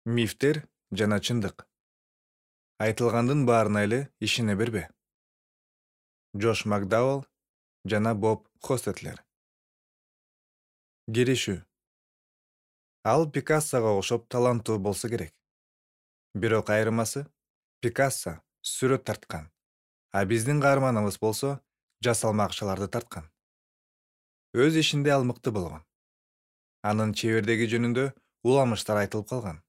Мифтер жана чындык. Айтылгандын баарына эле ишене бербе. Джош Макдауэлл жана Боб Хостетлер. Киришүү. Ал Пикассого окшоп таланттуу болсо керек. Бирок айырмасы Пикассо сүрөт тарткан, а биздин каарманыбыз болсо жасалма акчаларды тарткан. Өз ишинде ал мыкты болгон. Анын чебердиги жөнүндө уламыштар айтылып калган.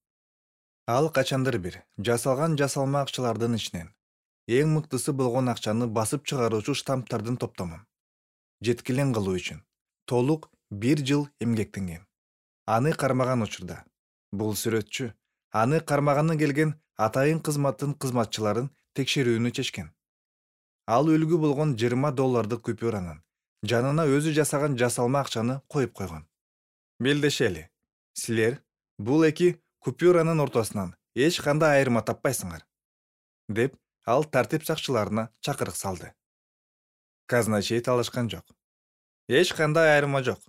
Ал качандыр бир жасалган жасалма акчалардын ичинен эң мыктысы болгон акчаны басып чыгаруучу штамптардын топтомун жеткилең кылуу үчүн толук 1 жыл эмгектенген. Аны кармаган учурда бул сүрөтчү аны кармаганы келген атайын кызматтын кызматчыларын текшерүүнү чечкен. Ал үлгү болгон $20 купюранын жанына өзү жасаган жасалма акчаны коюп койгон. Белдешели, силер бул эки купюранын ортосунан эч кандай айырма таппайсыңар, деп ал тартип сакчыларына чакырык салды. Казначей талашкан жок. Эч кандай айырма жок,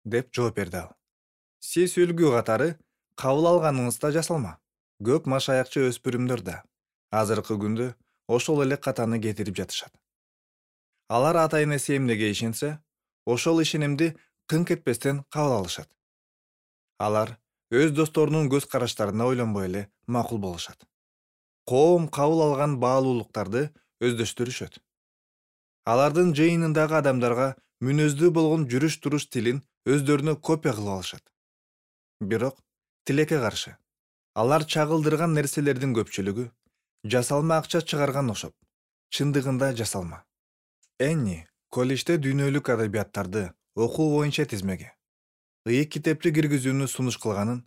деп жооп берди ал. Сиз үлгү катары кабыл алганыңызда жасалма. Көп машаякчы өспүрүмдөр да азыркы күндө ошол эле катаны кетирип жатышат. Алар ата-энеси эмнеге ишенсе, ошол ишенимди кыңк этпестен кабыл алышат. Алар өз досторунун көз караштарына ойлонбой эле макул болушат. Коом кабыл алган баалуулуктарды өздөштүрүшөт. Алардын жыйынындагы адамдарга мүнөздүү болгон жүрүш-туруш тилин өздөрүнө копия кылып алышат. Бирок тилекке каршы, алар чагылдырган нерселердин көпчүлүгү жасалма акча чыгарган окшоп, чындыгында жасалма. Энни колледжде дүйнөлүк адабияттарды окуу боюнча тизмеге ыйык китепти киргизүүнү сунуш кылганын,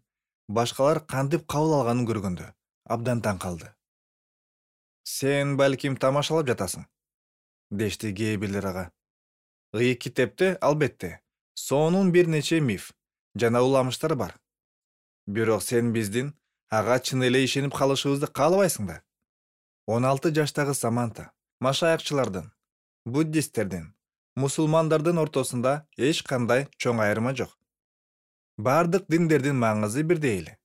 башкалар кантип кабыл алганын көргөндө абдан таң калды. Сен балким тамашалап жатасың, дешти кээ бирлер ага. Ыйык китепте албетте сонун бир нече миф жана уламыштар бар. Бирок сен биздин ага чын эле ишенип калышыбызды каалабайсың да. 16 жаштагы Саманта машаякчылардын, буддисттердин, мусулмандардын ортосунда эч кандай чоң айырма жок. Бардык диндердин маңызы бирдей эле.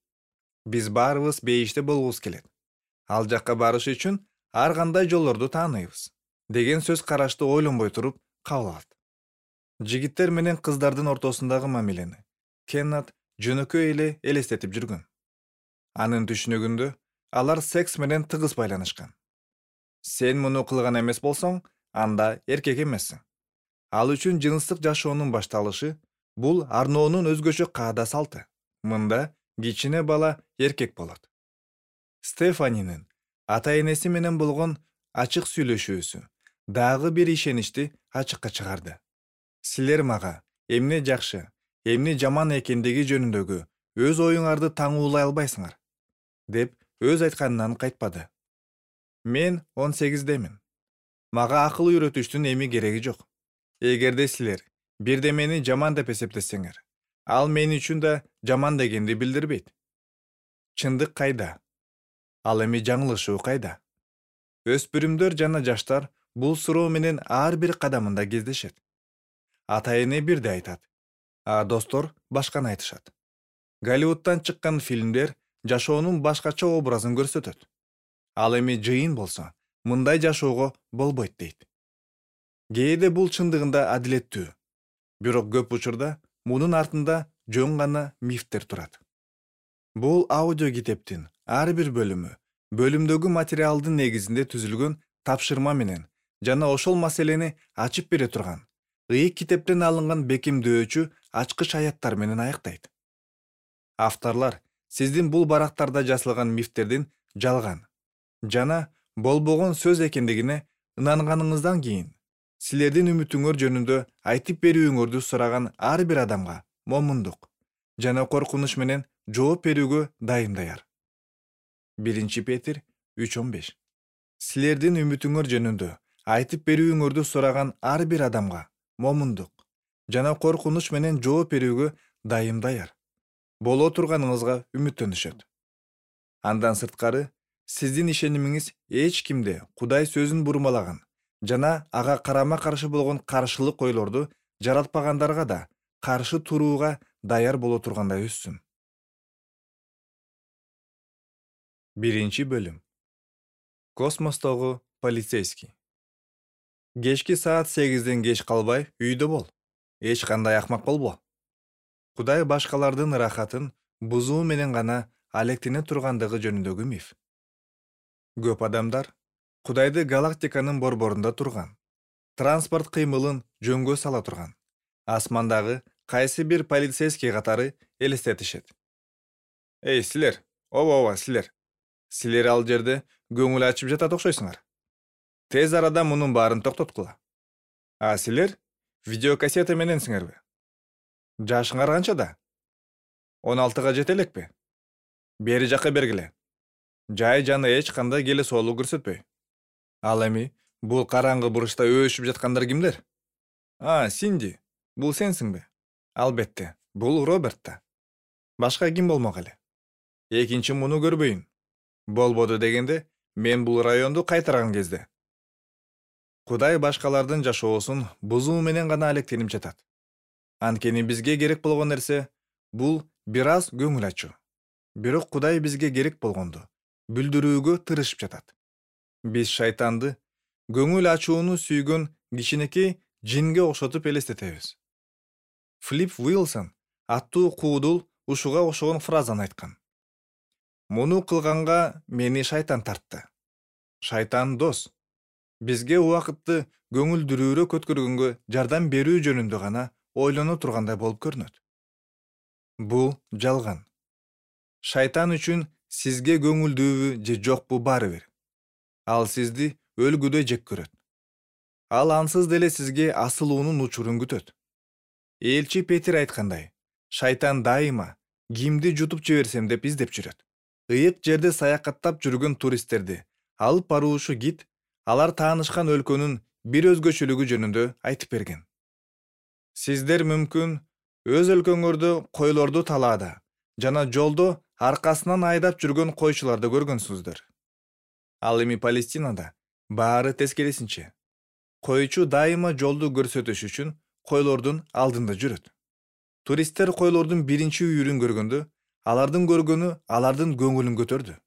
Биз баарыбыз бейиште болгубуз келет. Ал жакка барыш үчүн ар кандай жолдорду тааныйбыз, деген сөз карашты ойлонбой туруп кабыл алат. Жигиттер менен кыздардын ортосундагы мамилени Кеннет жөнөкөй эле элестетип жүргөн. Анын түшүнүгүндө алар секс менен тыгыз байланышкан. Сен муну кылган эмес болсоң, анда эркек эмессиң. Ал үчүн жыныстык жашоонун башталышы бул арноонун өзгөчө каада салты. Мында кичине бала эркек болот. Стефанинин ата-энеси менен болгон ачык сүйлөшүүсү дагы бир ишеничти ачыкка чыгарды. Силер мага эмне жакшы, эмне жаман экендиги жөнүндөгү өз оюңарды таңуулай албайсыңар, деп өз айтканынан кайтпады. Мен 18демин. Мага акыл үйрөтүштүн эми кереги жок. Эгерде силер бирдемени жаман деп эсептесеңер, ал мен үчүн да жаман дегенди билдирбейт. Чындык кайда? Ал эми жаңылышуу кайда? Өспүрүмдөр жана жаштар бул суроо менен ар бир кадамында кездешет. Ата-эне бирди айтат, а достор башканы айтышат. Голливудтан чыккан фильмдер жашоонун башкача образын көрсөтөт. Ал эми жыйын болсо, мындай жашоого болбойт дейт. Кээде бул чындыгында адилеттүү. Бирок көп учурда мунун артында жөн гана мифтер турат. Бул аудио китептин ар бир бөлүмдөгү материалдын негизинде түзүлгөн тапшырма менен жана ошол маселени ачып бере турган ыйык китептен алынган бекемдөөчү ачкыч аяттар менен аяктайт. Авторлор сиздин бул барактарда жазылган мифтердин жалган жана болбогон сөз экендигине ынанганыңыздан кийин силердин үмүтүңөр жөнүндө айтып берүүңөрдү сураган ар бир адамга момундук жана коркунуч менен жооп берүүгө дайым даяр. 1 Петир 3:15. Силердин үмүтүңөр жөнүндө айтып берүүңөрдү сураган ар бир адамга момундук жана коркунуч менен жооп берүүгө дайым даяр. Боло турганыңызга үмүттөнүшөт. Андан сырткары, сиздин ишенимиңиз эч кимде Кудай сөзүн бурмалаган жана ага карама каршы болгон каршылык ойлорду жаратпагандарга да каршы турууга даяр боло тургандай өссүн. Биринчи бөлүм. Космостогу полицейский. Кечки саат 8ден кеч калбай үйдө бол. Эч кандай акмак болбо. Кудай башкалардын ырахатын бузуу менен гана алектене тургандыгы жөнүндөгү миф. Көп адамдар Кудайды галактиканын борборунда турган, транспорт кыймылын жөнгө сала турган, асмандагы кайсы бир полицейский катары элестетишет. Эй, силер, ооба силер. Силер ал жерде көңүл ачып жатат окшойсуңар. Тез арада мунун баарын токтоткула. А силер видеокассета мененсиңерби? Жашыңар канчада? 16га жете элекпи? Бери жакка бергиле. Жай жана эч кандай келе соолук көрсөтпөй. Ал эми бул караңгы буручта өшүп жаткандар кимдер? Синди, бул сенсиңби? Албетте, бул Роберт да. Башка ким болмок эле? Экинчи муну көрбөйүн. Болбоду дегенде, мен бул районду кайтарган кезде. Кудай башкалардын жашоосун бузуу менен гана алектенип жатат. Анткени бизге керек болгон нерсе бул бир аз көңүл ачуу. Бирок Кудай бизге керек болгонду билдирүүгө тырышып жатат. Биз шайтанды көңүл ачууну сүйгөн кичинекей жинге окшотуп элестетебиз. Флип Уилсон аттуу куудул ушуга окшогон фразаны айткан. Муну кылганга мени шайтан тартты. Шайтан дос. Бизге убакытты көңүлдүрүүрөөк өткөргөнгө жардам берүү жөнүндө гана ойлоно тургандай болуп көрүнөт. Бул жалган. Шайтан үчүн сизге көңүлдүүбү же жокпу баары бир. Ал сизди өлгүдөй жек көрөт. Ал ансыз деле сизге асылуунун учурун күтөт. Элчи Петир айткандай, шайтан дайыма кимди жутуп жиберсем деп издеп жүрөт. Ыйык жерде саякаттап жүргөн туристтерди алып баруучу гид алар таанышкан өлкөнүн бир өзгөчөлүгү жөнүндө айтып берген. Сиздер мүмкүн өз өлкөңөрдө койлорду талаада жана жолдо аркасынан айдап жүргөн койчуларды көргөнсүздөр. Ал эми Палестинада баары тескерисинче. Койчу дайыма жолду көрсөтүш үчүн койлордун алдында жүрөт. Туристтер койлордун биринчи үйүрүн көргөндө, алардын көргөнү алардын көңүлүн көтөрдү.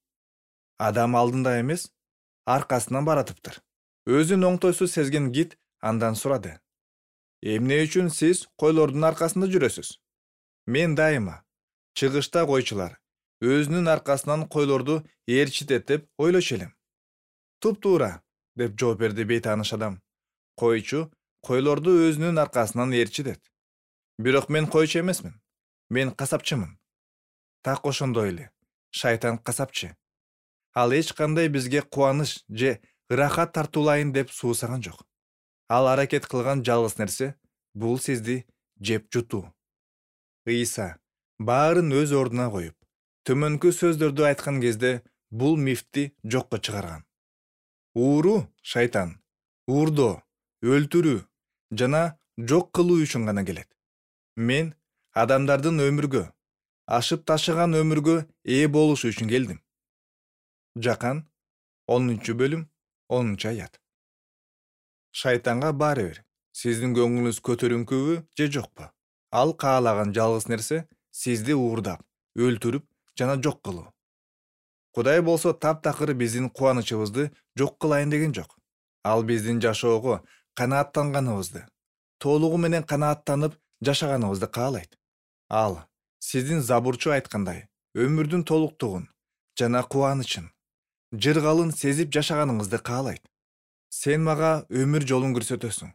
Адам алдында эмес, аркасынан баратыптыр. Өзүн оңтойсуз сезген гид андан сурады. Эмне үчүн сиз койлордун аркасында жүрөсүз? Мен дайыма чыгышта койчулар өзүнүн аркасынан койлорду ээрчитет деп ойлочу элем. Туп-туура, деп жооп берди бейтааныш адам. Койчу койлорду өзүнүн аркасынан ээрчитет. Бирок мен койчу эмесмин. Мен касапчымын. Так ошондой эле. Шайтан касапчы. Ал эч кандай бизге кубаныч же ырахат тартуулайын деп суусаган жок. Ал аракет кылган жалгыз нерсе бул сизди жеп жутуу. Ыйса баарын өз ордуна коюп, төмөнкү сөздөрдү айткан кезде бул мифти жокко чыгарган. Ууру шайтан, уурдоо, өлтүрүү жана жок кылуу үчүн гана келет. Мен адамдардын өмүргө, ашып ташыган өмүргө ээ болуш үчүн келдим. Жакан 10-бөлүм 10-аят. Шайтанга баары бир, сиздин көңүлүңүз көтөрүңкүбү же жокпу? Ал каалаган жалгыз нерсе сизди уурдап, өлтүрүп жана жок кылуу. Кудай болсо таптакыр биздин кубанычыбызды жок кылайын деген жок. Ал биздин жашоого канааттанганыбызды, толугу менен канааттанып жашаганыбызды каалайт. Ал сиздин забурчу айткандай, өмүрдүн толуктугун жана кубанычын, жыргалын сезип жашаганыңызды каалайт. Сен мага өмүр жолун көрсөтөсүң.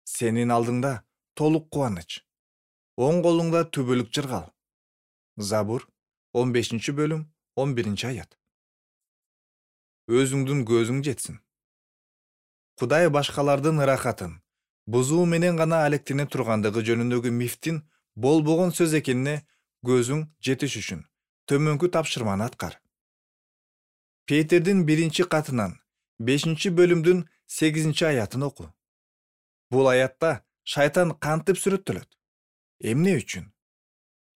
Сенин алдыңда толук кубаныч. Оң колуңда түбөлүк жыргал. Забур 15-бөлүм 11-аят. Өзүңдүн көзүң жетсин. Кудай башкалардын ырахатын бузуу менен гана алектене тургандыгы жөнүндөгү мифтин болбогон сөз экенине көзүң жетиш үчүн төмөнкү тапшырманы аткар. Петердин 1-катынан 5-бөлүмдүн 8-аятын оку. Бул аятта шайтан кантип сүрөттөлөт? Эмне үчүн?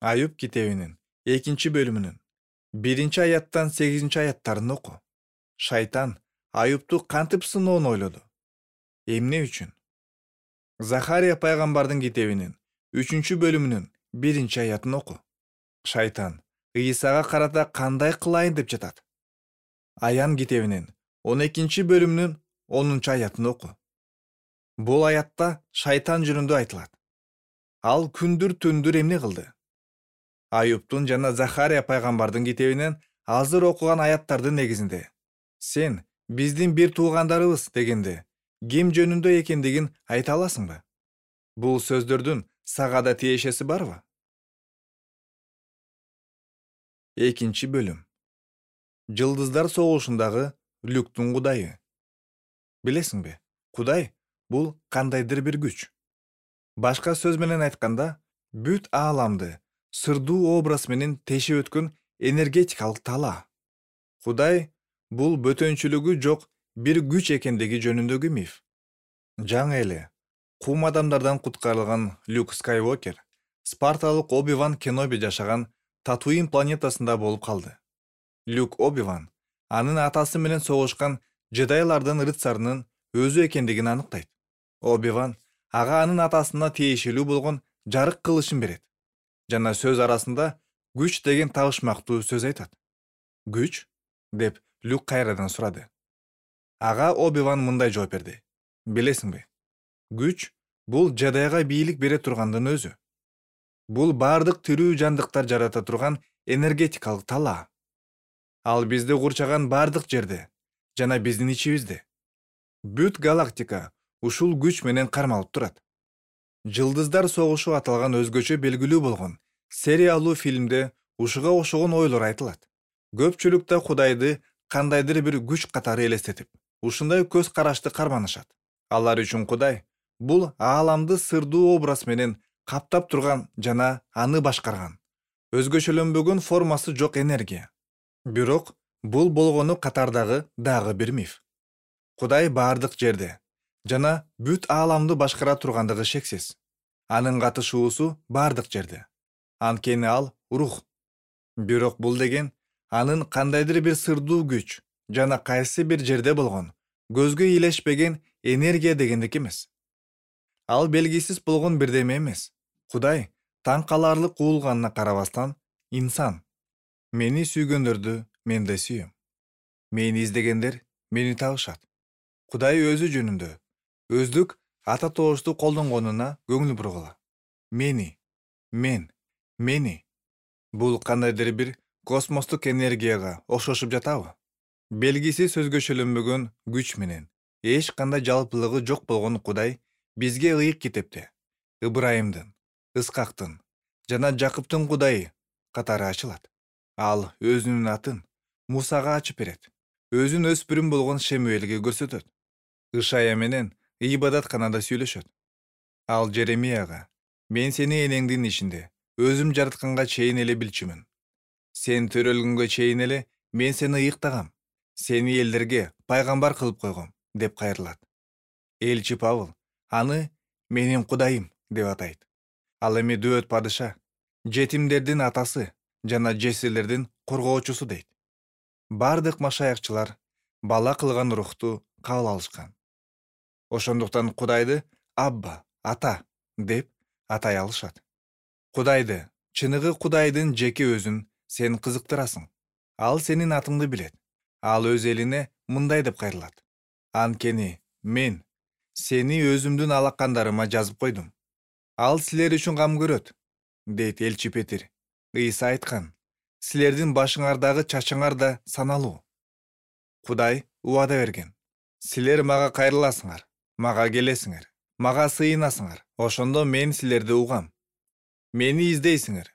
Аюп китебинин 2-бөлүмүнүн 1-аяттан 8-аяттарын оку. Шайтан Аюпту кантип сыноон ойлоду? Эмне үчүн? Захария пайгамбардын китебинин 3-бөлүмүнүн 1-аятын оку. Шайтан Ыйсага карата кандай кылайын деп жатат? Аян китебинин 12-бөлүмүнүн 10-аятын оку. Бул аятта шайтан жөнүндө айтылат. Ал күндүр-түндүр эмне кылды? Аюптун жана Захария пайгамбардын китебинен азыр окуган аяттардын негизинде сен биздин бир туугандарыбыз дегенде ким жөнүндө экендигин айта аласыңбы? Бул сөздөрдүн сага да тиешеси барбы? 2-бөлүм. Жылдыздар согушундагы Люктун кудайы. Билесиңби? Кудай бул кандайдыр бир күч. Башка сөз менен айтканда, бүт ааламды сырдуу образ менен тешип өткөн энергетикалык тала. Кудай бул бөтөнчүлүгү жок бир күч экендиги жөнүндөгү миф. Жаңы эле кум адамдардан куткарылган Люк Скайуокер спарталык Оби-Ван Кеноби жашаган Татуин планетасында болуп калды. Люк Оби-Ван анын атасы менен согушкан жедайлардын рыцарынын өзү экендигин аныктайт. Оби-Ван ага анын атасына тиешелүү болгон жарык кылычын берет. Жана сөз арасында күч деген табышмактуу сөз айтат. Күч? Деп Люк кайрадан сурады. Ага Оби-Ван мындай жооп берди. Билесиңби? Күч бул жадайга бийлик бере тургандын өзү. Бул бардык тирүү жандыктар жарата турган энергетикалык тала. Ал бизди курчаган бардык жерде жана биздин ичибизде. Бүт галактика ушул күч менен кармалып турат. Жылдыздар согушу аталган өзгөчө белгилүү болгон сериялуу фильмде ушуга окшогон ойлор айтылат. Көпчүлүк да Кудайды кандайдыр бир күч катары элестетип, ушундай көз карашты карманышат. Алар үчүн Кудай бул ааламды сырдуу образ менен каптап турган жана аны башкарган, өзгөчөлөнбөгөн формасы жок энергия. Бирок бул болгону катардагы дагы бир миф. Кудай бардык жерде жана бүт ааламды башкара тургандыгы шексиз. Анын катышуусу бардык жерде. Анткени ал рух. Бирок бул деген анын кандайдыр бир сырдуу күч жана кайсы бир жерде болгон көзгө илешпеген энергия дегендик эмес. Ал белгисиз болгон бирдеме эмес. Кудай таң каларлык уулганына карабастан инсан. Мени сүйгөндөрдү мен да сүйөм. Мени издегендер мени табышат. Кудай өзү жөнүндө өздүк ата тоошту колдонгонуна көңүл бургула. Мени, мен, мени. Бул кандайдыр бир космостук энергияга окшошуп жатабы? Белгисиз өзгөчөлөнбөгөн күч менен эч кандай жалпылыгы жок болгон Кудай бизге ыйык китепте Ыбрайымдын, Ыскактын жана Жакыптын Кудайы катары ачылат. Ал өзүнүн атын Мусага ачып берет. Өзүн өспүрүм болгон Шемуэлге көрсөтөт. Ышая менен ибадатканада сүйлөшөт. Ал Жеремияга: "Мен сени энеңдин ичинде өзүм жаратканга чейин эле билчүмүн. Сен төрөлгөнгө чейин эле мен сени ыйыктагам. Сени элдерге пайгамбар кылып койгом" деп кайрылат. Элчи Павыл аны менин Кудайым деп атайт. Ал эми дөөт падыша, жетимдердин атасы жана жесирлердин коргоочусу дейт. Бардык машаякчылар бала кылган рухту кабыл алышкан. Ошондуктан Кудайды Абба, ата деп атай алышат. Кудайды, чыныгы Кудайдын жеке өзүн сен кызыктырасың. Ал сенин атыңды билет. Ал өз элине мындай деп кайрылат: "Анткени мен сени өзүмдүн алакандарыма жазып койдум. Ал силер үчүн кам көрөт", дейт элчи Петир. Ыйса айткан: "Силердин башыңардагы чачыңар да саналуу". Кудай убада берген: "Силер мага кайрыласыңар, мага келесиңер, мага сыйынасыңар. Ошондо мен силерди угам. Мени издейсиңер.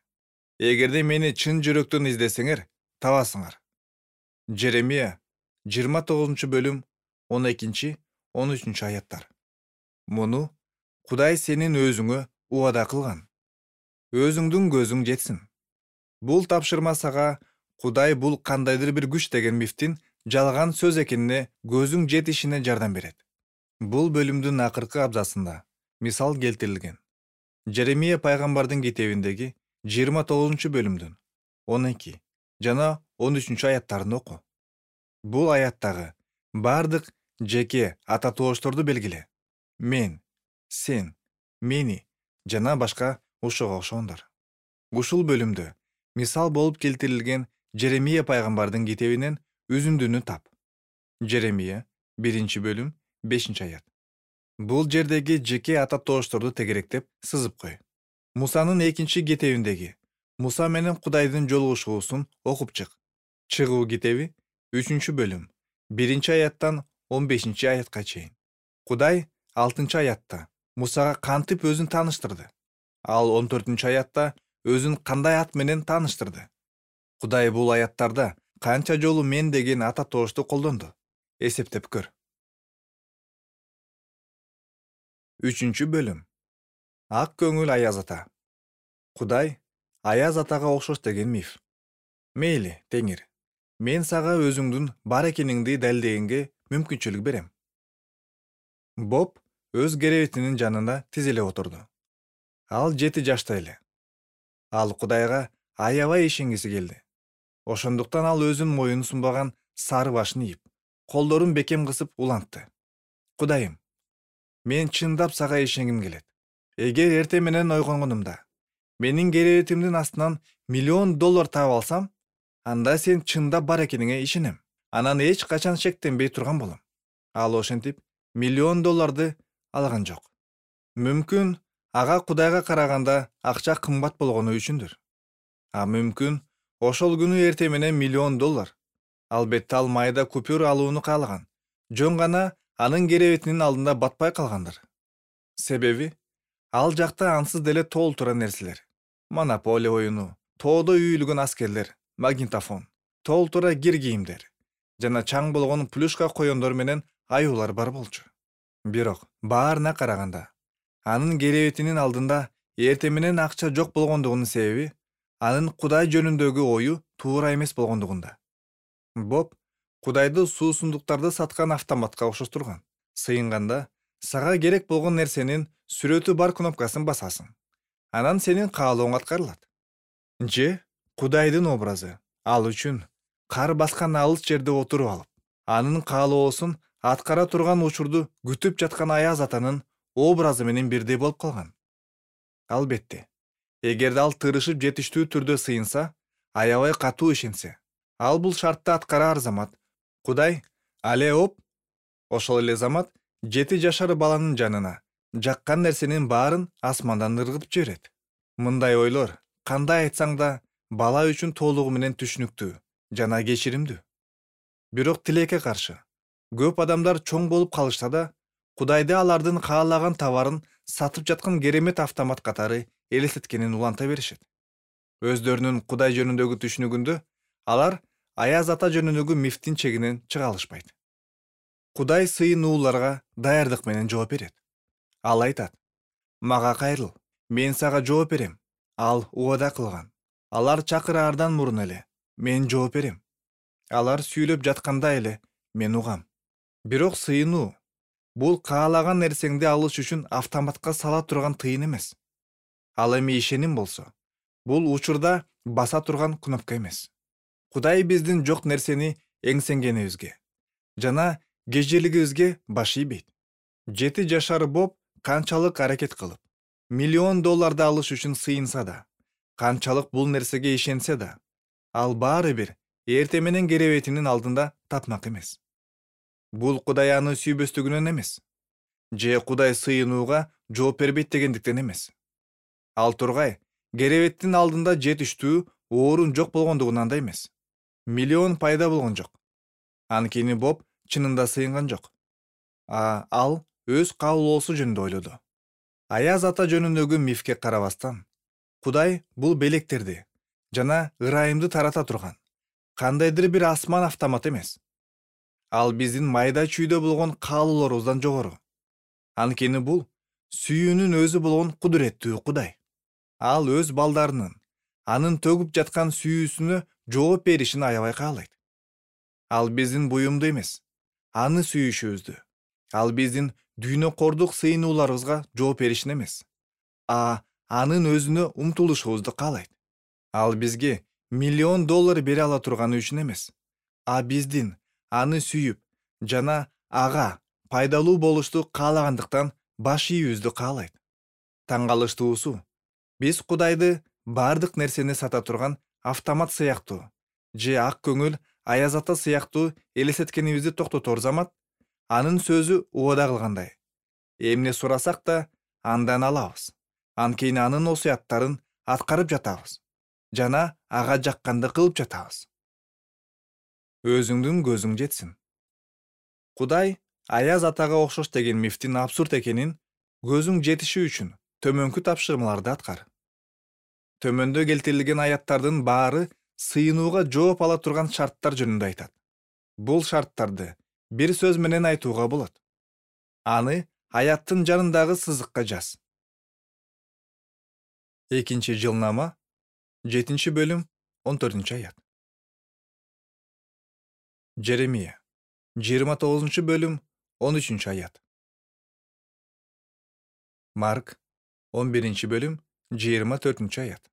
Эгерде мени чын жүрөктөн издесеңер, табасыңар". Жеремия 29-бөлүм 12-13 аяттар. Муну Кудай сенин өзүңө убада кылган. Өзүңдүн көзүң жетсин. Бул тапшырма сага Кудай бул кандайдыр бир күч деген мифтин жалган сөз экенине көзүң жетишине жардам берет. Бул бөлүмдүн акыркы абзацында мисал келтирилген. Жеремия пайгамбардын китебиндеги 29-бөлүмдүн 12 жана 13 аяттарын оку. Бул аяттагы бардык жеке ата тоошторду белгиле. Мен, сен, мени жана башка ушуга окшогондор. Ушул бөлүмдө мисал болуп келтирилген Жеремия пайгамбардын китебинен үзүндүнү тап. Жеремия 1-бөлүм 5-аят. Бул жердеги жеке ата тоошторду тегеректеп сызып кой. Мусанын 2 китебиндеги Муса менен Кудайдын жолугушуусун окуп чык. Чыгуу китеби 3-бөлүм 1-аяттан 15-аятка чейин. Кудай 6-аятта Мусага кантип өзүн тааныштырды. Ал 14-аятта өзүн кандай ат менен тааныштырды. Кудай бул аяттарда канча жолу мен деген ата тоошту колдонду. Эсептеп көр. 3-бөлүм Ак көңүл Аяз ата. Кудай Аяз атага окшош деген миф. Мейли, Теңир, мен сага өзүңдүн бар экениңди далилдегенге мүмкүнчүлүк берем. Боб өз керебетинин жанына тизиле отурду. Ал 7 жашта эле. Ал Кудайга аябай ишенгиси келди. Ошондуктан ал өзүн моюну сунбаган сары башын ийип, колдорун бекем кысып улантты. Кудайым, мен чындап сага ишенгим келет. Эгер эртең менен ойгонгонумда менин керебетимдин астынан $1,000,000 таап алсам, анда сен чындап бар экениңе ишенем. Анан эч качан шектенбей турган болом. Ал ошентип $1,000,000 алган жок. Мүмкүн ага Кудайга караганда акча кымбат болгону үчүндүр. Мүмкүн ошол күнү эртең менен $1,000,000. Албетте ал майда купюр алууну каалаган. Жөн гана анын керебетинин алдында батпай калгандыр. Себеби ал жакта ансыз деле толтура нерселер. Монополия оюну, тоодо үйүлгөн аскерлер, магнитофон, толтура кир кийимдер жана чаң болгон плюшка коёндор менен аюулар бар болчу. Бирок баарына караганда анын керебетинин алдында эртең менен акча жок болгондугунун себеби анын Кудай жөнүндөгү ою туура эмес болгондугунда. Боб Кудайды суусундуктарды саткан автоматка окшоштурган. Сыйынганда сага керек болгон нерсенин сүрөтү бар кнопкасын басасың. Анан сенин каалооң аткарылат. Же Кудайдын образы. Ал үчүн кар баскан алыс жерде отуруп алып, анын каалоосун аткара турган учурду күтүп жаткан Аяз атанын образы менен бирдей болуп калган. Албетте, эгерде ал тырышып жетиштүү түрдө сыйынса, аябай катуу ишенсе, ал бул шартты аткараар замат Кудай ошол эле замат 7 жашар баланын жанына жаккан нерсенин баарын асмандан ыргытып жиберет. Мындай ойлор кандай айтсаң да бала үчүн толугу менен түшүнүктүү жана кечиримдүү. Бирок тилекке каршы көп адамдар чоң болуп калышса да, Кудайды алардын каалаган товарын сатып жаткан керемет автомат катары элестеткенин уланта беришет. Өздөрүнүн Кудай жөнүндөгү түшүнүгүндө алар Аяз ата жөнүндөгү мифтин чегинен чыга алышпайт. Кудай сыйынууларга даярдык менен жооп берет. Ал айтат: "Мага кайрыл, мен сага жооп берем." Ал убада кылган. Алар чакыраардан мурун эле мен жооп берем. Алар сүйлөп жатканда эле мен угам. Бирок сыйынуу бул каалаган нерсеңди алыш үчүн автоматка сала турган тыйын эмес. Ал эми ишеним болсо, бул учурда баса турган кнопка эмес. Кудай биздин жок нерсени эңсенгенибизге жана кежелигибизге баш ийбейт. 7 жашар Боб канчалык аракет кылып, $1,000,000 алыш үчүн сыйынса да, канчалык бул нерсеге ишенсе да, ал баары бир эртең менен керебетинин алдында тапмак эмес. Бул Кудай аны сүйбөстүгүнөн эмес, же Кудай сыйынууга жооп бербейт дегендиктен эмес. Ал тургай керебеттин алдында жетиштүү орун жок болгондугунан да эмес. $1,000,000 пайда болгон жок. Анткени Боб чынында сыйынган жок. Ал өз каалоосу жөнүндө ойлоду. Аяз ата жөнүндөгү мифке карабастан, Кудай бул белектерди жана ырайымды тарата турган кандайдыр бир асман автомат эмес. Ал биздин майда чүйдө болгон каалоолорубуздан жогору. Анткени бул сүйүүнүн өзү болгон кудуреттүү Кудай. Ал өз балдарынын анын төгүп жаткан сүйүүсүнө жооп беришин аябай каалайт. Ал биздин буюмду эмес, аны сүйүшүбүздү. Ал биздин дүйнөкордук сыйынууларыбызга жооп беришин эмес, анын өзүнө умтулушубузду каалайт. Ал бизге $1,000,000 бере ала турганы үчүн эмес, биздин аны сүйүп жана ага пайдалуу болушту каалагандыктан баш ийүүбүздү каалайт. Таң калыштуусу, биз Кудайды бардык нерсени сата турган автомат сыяктуу же ак көңүл Аяз ата сыяктуу элестеткенибизди токтотор замат анын сөзү убада кылгандай. Эмне сурасак да андан алабыз. Анткени анын осуяттарын аткарып жатабыз жана ага жакканды кылып жатабыз. Өзүңдүн көзүң жетсин. Кудай Аяз атага окшош деген мифтин абсурд экенин көзүң жетиши үчүн төмөнкү тапшырмаларды аткар. Төмөндө келтирилген аяттардын баары сыйынууга жооп ала турган шарттар жөнүндө айтат. Бул шарттарды бир сөз менен айтууга болот. Аны аяттын жанындагы сызыкка жаз. 2-Жылнама 7-бөлүм 14-аят. Жеремия 29-бөлүм 13-аят. Марк 11-бөлүм 24-аят.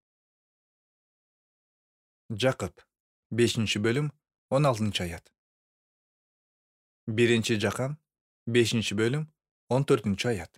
Жакып 5-бөлүм 16-аят. 1-Жакан 5-бөлүм 14-аят.